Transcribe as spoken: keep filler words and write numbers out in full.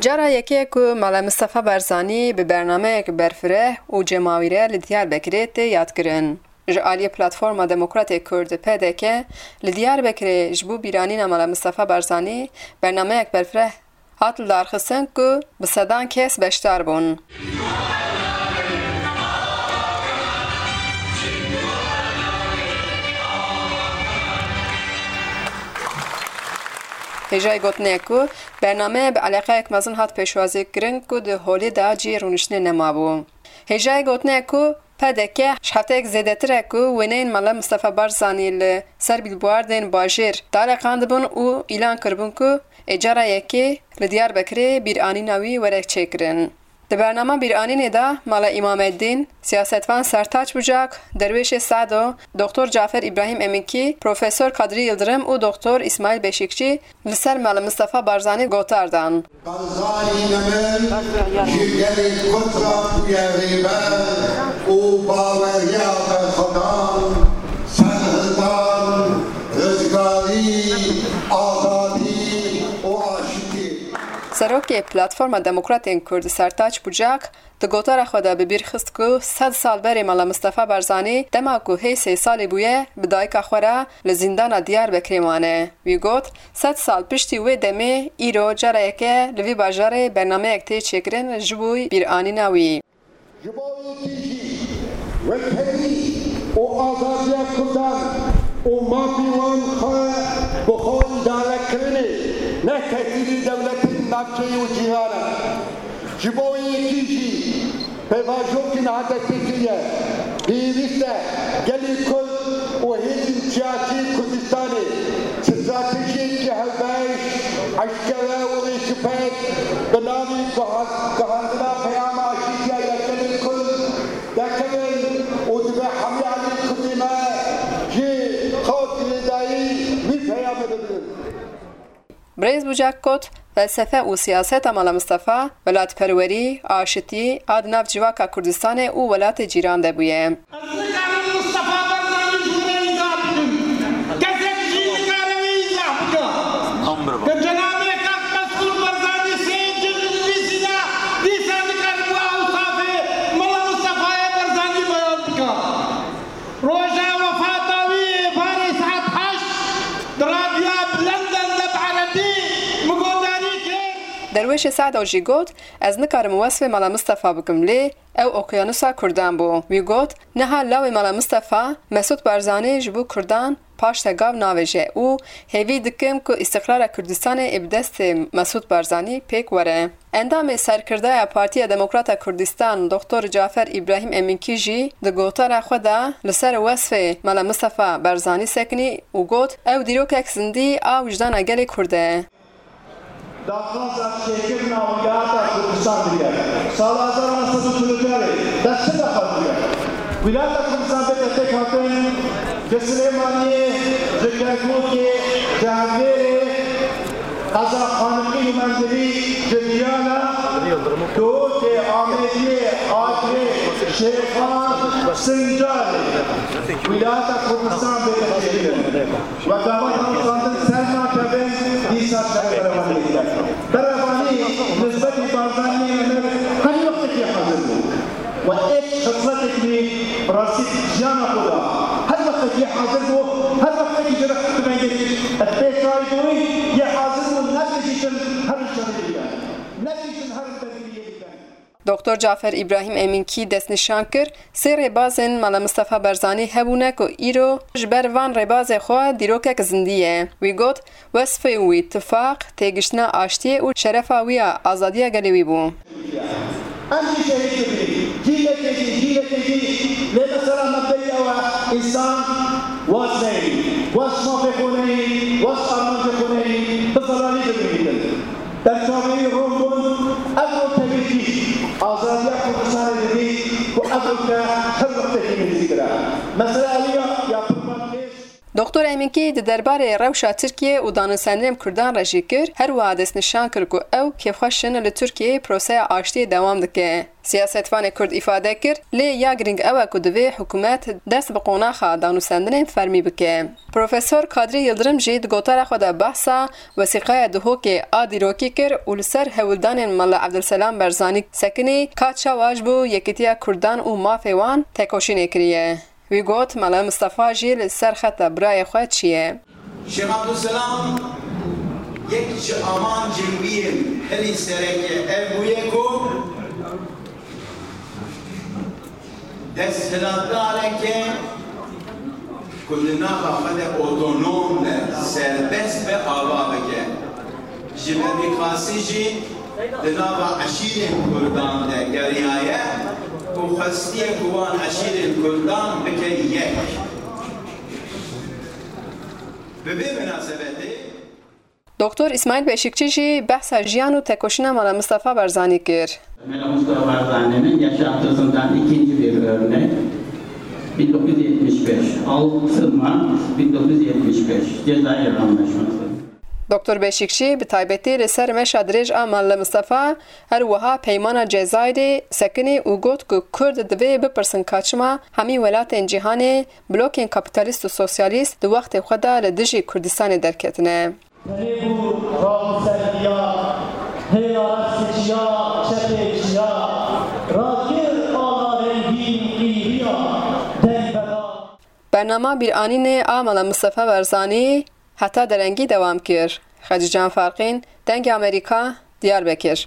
Cara yekê ye ku Mala Mistefa Barzanî bi bernameyek berfireh û cemawîre li Diyarbekirê tê yadkirin. Ji aliyê Platforma Demokratê Kurd, P D K, li Diyarbekirê ji bo bîranîna Mala Mistefa Barzanî bernameyek berfireh hat lidarxistin ku bi sedan kes beşdar bûn. Hêjayî gotinê ye ku bername bi eleqeyek mezin hat pêşwazî kirin ku di holê de cihê rûniştinê nemabû. Hêjayî gotinê ye ku P D K ji hefteyek zêdetir e ku wêneyên Mela Mistefa Barzanî li ser bîlbordên bajêr daleqandibûn û îlan kiribûn ku ê cara yekê li Diyarbekirê bîranîna wî were çêkirin. Di bernama bîranînê de Mela Îmameddîn, siyasetvan Sertaç Bucak, Derwêşê Sado, Doktor Cafer Îbrahîm Emînkî, Profesor Kadrî Yildirim û Doktor Îsmaîl Beşîkçî li ser Mela Mistefa Barzanî gotar dan. Barzanî ne min ji gelê Kurd re bûye rêber û baweriya berxwedan, serhildan, rizgarî, azadî û aştiyê. Serokê Platforma Demokratên Kurd Sertaç Bucak di gotara xwe de bi bîr xist ku sed sal berê Mela Mistefa Barzanî dema ku hê sê salî bûye bi dayika xwe re li zîndana Diyarbekirê mane. Wî got, sed sal piştî wê demê îro cara yekê li vî bajarê bernameyek tê çêkirin ji bo bîranîna wî. Ji bo yekî jî wekherî û azadiya Kurdan û mafê wan xwe bi xwe îdarekirinê, ne tesîrî dewletên navçeyê û cîran e. Ji bo yekî jî pêvajoyeke niha destpêkirî ye. Pêwîst e gelê Kurd û hêzên siyasî Kurdistanê stratejiyeke hevbeş, eşkere û rêkûpêk bi navê guha-, guhandina peyama aşîtiya ya gelê Kurd derkevin û divê hemî aliyên Kurdê me jî xwe girêdayî wî peyamê bibin. Birêz Bucak got, felsefe û siyaseta Mela Mistefa, welatperwerî, aşitî a di nav civaka Kurdistanê û welatê cîran de bûye. Ez nikarim Mistefa Barzanî ji we re îzah bikim. Kesek jî nikare wê îzah bike. Ke cenabê kak Mesûd Barzanî sê cil nivîsîne, dîsa nikaribû ewsafê Mela Mistefayê Barzanî beyan bike. Roja wefata wî êvarê saet heşt di radyoya Bilend de bi erebî min guhdarî kir. Derwêşê Sado jî got, ez nikarim wesfê Mela Mistefa bikim, lê ew okyanusa Kurdan bû. Wî got, niha lawê Mela Mistefa, Mesûd Barzanî ji bo Kurdan paştegav navêje û hêvî dikim ku îstiqrara Kurdistanê ê bi destê Mesûd Barzanî pêk were. Endamê Serkirdaya Partiya Demokrata Kurdistan Doktor Cafer Îbrahîm Emînkî jî di gotara xwe de li ser wesfê Mela Mistefa Barzanî sekinî û got, ew dîrokek zindî a wijdana gelê Kurd e. Daxwaza çêkirina Wîlayeta Kurdistan dike. Sala hezar û neh sed û çil û çarê dest çi daxwaz dike? Wîlayeta Kurdistan bête pêkhatin, ji Silêmaniyê, ji Kerkûkê, ji Hewlêrê, qeza Xaniqîn û Mendilî, ji Diyala, Duhokê, Amêdiyê, Agirê, Şêxan, Sincarê. Wîlayeta Kurdistan bête çêkirin. Wek gava danûstandin ser nakevin, dîsa şerê berevaniyê dike. Berevanî nisbetî Barzaniyê emir her wextekî hazir bû. We êk xisletek wî bi rastî jiyana xwe da. Her wextekî hazir bû, her wextekî ji rextibengê pê çay bûyî, yê hazir bû ne dijîtin her şerê bike. Ne dijîtin her bediriyê bike. Doktor Cafer Îbrahîm Emînkî destnîşan kir, sê rêbazên Mela Mistefa Barzanî hebûne ku îro ji ber van rêbazê xwe dîrokek zindî ye. Wî got, wesfê wî tifaq, têgiştina aştiyê û şerefa wî ya azadiya gelê wî bû. Em jî şehîd dibin. Cîlekê jî, cîlekê jî. Lê mesela mebdeyî ew e, însan wes neyî, wes mafê xwe neyî, wes armancê xwe neyî, bi zelalî bimînin. Berçavî rûn bûn, ev rûn tevî tî azadiya Kurdistanê didî ku ev rûn te her wextekî nêzîktir e. Mesela ewî ya, ya pirvan pêş. Doktor Emînkî di derbarê rewşa Tirkiyê û danûstendinên Kurdan re jî kir, her wiha destnîşan kir ku ew kêfxweş in li Tirkiyeyê proseya aştiyê dewam dike. Siyasetvanê Kurd îfade kir, lê ya girîng ew e ku divê hikûmet dest bi qonaxa danûstendinên fermî bike. Profesor Kadrî Yildirim jî di gotara xwe de behsa wesîqeya Duhokê a dîrokî kir û li ser hewldanên Mela Evdilselam Berzanî Sekinî ka çawa ji bo yekîtiya Kurdan û mafê wan tekoşînê kiriye. Wî got, Mela Mistefa jî li ser xeta birayê xwe çi ye? Şêx Abdulselam yek ji amancên wî yên herî sereke ev bûye ku desthilatdareke ku di nava xwe de otonom be, serbest be, ava bike. Ji Bedî Qasî jî di nava eşîrên Kurdan de geriyaye û xwestiye ku wan eşîrên Kurdan bike yek. Bi vê minasebetê Doktor Îsmaîl Beşîkçî jî behsa jiyan û tekoşîna Mela Mistefa Barzanî kir. Mela Mustafa Barzani'nin yaşantısından ikinci bir örnek. bin dokuz yüz yetmiş beş, altı Mart bin dokuz yüz yetmiş beş, Cezayir Anlaşması. Doktor Beşîkçî bi taybetî li ser meşa dirêj a Mela Mistefa, her wiha peymana Cezayirê sekinî û got ku Kurd divê bipirsin ka çima hemî welatên cîhanê blokên kapîtalîst û sosyalîst di wextê xwe de li dijî Kurdistanê derketine. Tenê bû rabiserdiya, hêla restê çiya, çepê çiya, rakir ala rengîn qîriya, deng bela. Bernama bîranînê a Mela Mistefa Barzanî heta derengî dewam kir. Xecîcan Farqîn, Dengê Amerîka, Diyarbekir.